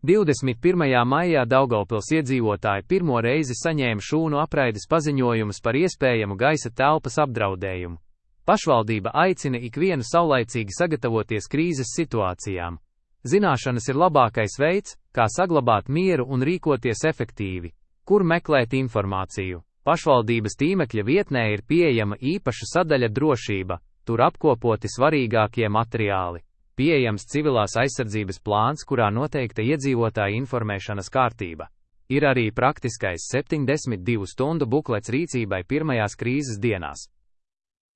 21. maijā Daugavpils iedzīvotāji pirmo reizi saņēma šūnu apraides paziņojumus par iespējamu gaisa telpas apdraudējumu. Pašvaldība aicina ikvienu saulaicīgi sagatavoties krīzes situācijām. Zināšanas ir labākais veids, kā saglabāt mieru un rīkoties efektīvi. Kur meklēt informāciju? Pašvaldības tīmekļa vietnē ir pieejama īpaša sadaļa drošība, tur apkopoti svarīgākie materiāli. Pieejams civilās aizsardzības plāns, kurā noteikta iedzīvotāja informēšanas kārtība. Ir arī praktiskais 72 stundu buklets rīcībai pirmajās krīzes dienās.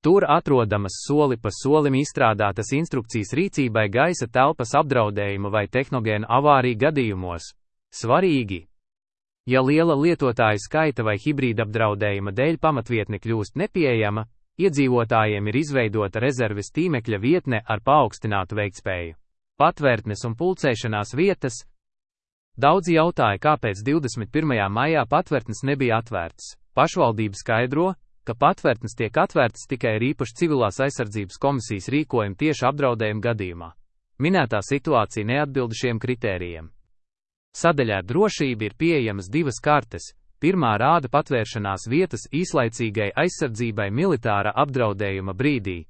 Tur atrodamas soli pa solim izstrādātas instrukcijas rīcībai gaisa telpas apdraudējuma vai tehnogēnu avāriju gadījumos. Svarīgi! Ja liela lietotāju skaita vai hibrīda apdraudējuma dēļ pamatvietne kļūst nepieejama, iedzīvotājiem ir izveidota rezerves tīmekļa vietne ar paaugstinātu veiktspēju. Patvērtnes un pulcēšanās vietas. Daudzi jautāja, kāpēc 21. maijā patvērtnes nebija atvērtas. Pašvaldība skaidro, ka patvērtnes tiek atvērtas tikai ar īpašu civilās aizsardzības komisijas rīkojumu tieši apdraudējuma gadījumā. Minētā situācija neatbilda šiem kritērijiem. Sadaļā drošība ir pieejamas divas kartes. Pirmā rāda patvēršanās vietas īslaicīgai aizsardzībai militāra apdraudējuma brīdī.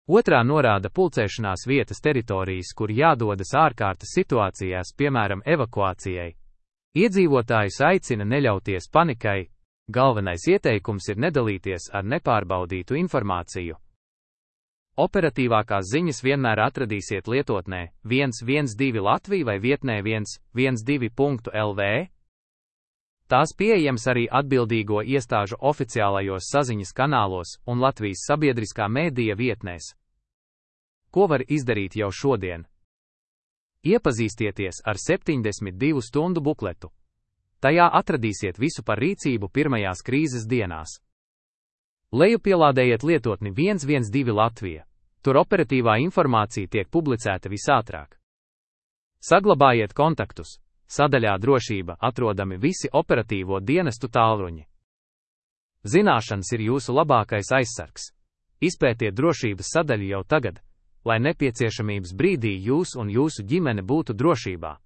Otrā norāda pulcēšanās vietas teritorijas, kur jādodas ārkārtas situācijās, piemēram, evakuācijai. Iedzīvotājus aicina neļauties panikai. Galvenais ieteikums ir nedalīties ar nepārbaudītu informāciju. Operatīvākās ziņas vienmēr atradīsiet lietotnē 112 Latvija vai vietnē 112.lv. Tās pieejams arī atbildīgo iestāžu oficiālajos saziņas kanālos un Latvijas sabiedriskā mēdīja vietnēs. Ko var izdarīt jau šodien? Iepazīstieties ar 72 stundu bukletu. Tajā atradīsiet visu par rīcību pirmajās krīzes dienās. Lejupielādējiet lietotni 112 Latvija. Tur operatīvā informācija tiek publicēta visātrāk. Saglabājiet kontaktus. Sadaļā drošība atrodami visi operatīvo dienestu tālruņi. Zināšanas ir jūsu labākais aizsargs. Izpētiet drošības sadaļu jau tagad, lai nepieciešamības brīdī jūs un jūsu ģimene būtu drošībā.